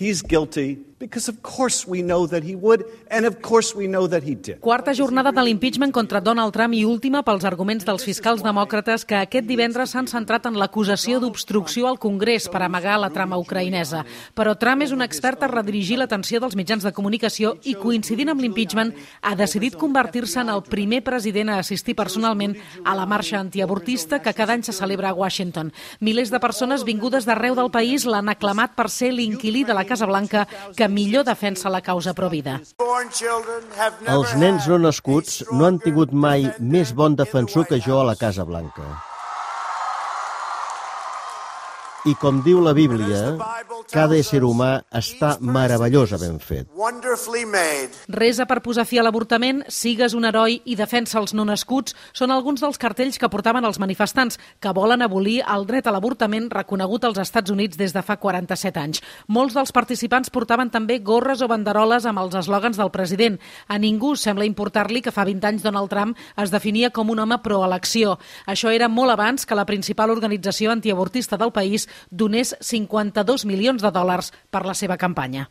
He's guilty because of course we know that he would, and of course we know that he did. Quarta jornada de l'impeachment contra Donald Trump i última pels arguments dels fiscals demòcrates que aquest divendres s'han centrat en l'acusació d'obstrucció al Congrés per amagar la trama ucraïnesa. Però Trump és un expert a redirigir l'atenció dels mitjans de comunicació i, coincidint amb l'impeachment, ha decidit convertir-se en el primer president a assistir personalment a la marxa antiavortista que cada any se celebra a Washington. Milers de persones vingudes d'arreu del país l'han aclamat per ser l'inquilí de la Casa Blanca que millor defensa la causa pro-vida. Els nens no nascuts no han tingut mai més bon defensor que jo a la Casa Blanca. I com diu la Bíblia, cada ésser humà està meravellosament fet. Resa per posar fi a l'avortament, sigues un heroi i defensa els no nascuts són alguns dels cartells que portaven els manifestants que volen abolir el dret a l'avortament reconegut als Estats Units des de fa 47 anys. Molts dels participants portaven també gorres o banderoles amb els eslògans del president. A ningú sembla importar-li que fa 20 anys Donald Trump es definia com un home pro-elecció. Això era molt abans que la principal organització antiavortista del país donés $52 milions per la seva campanya.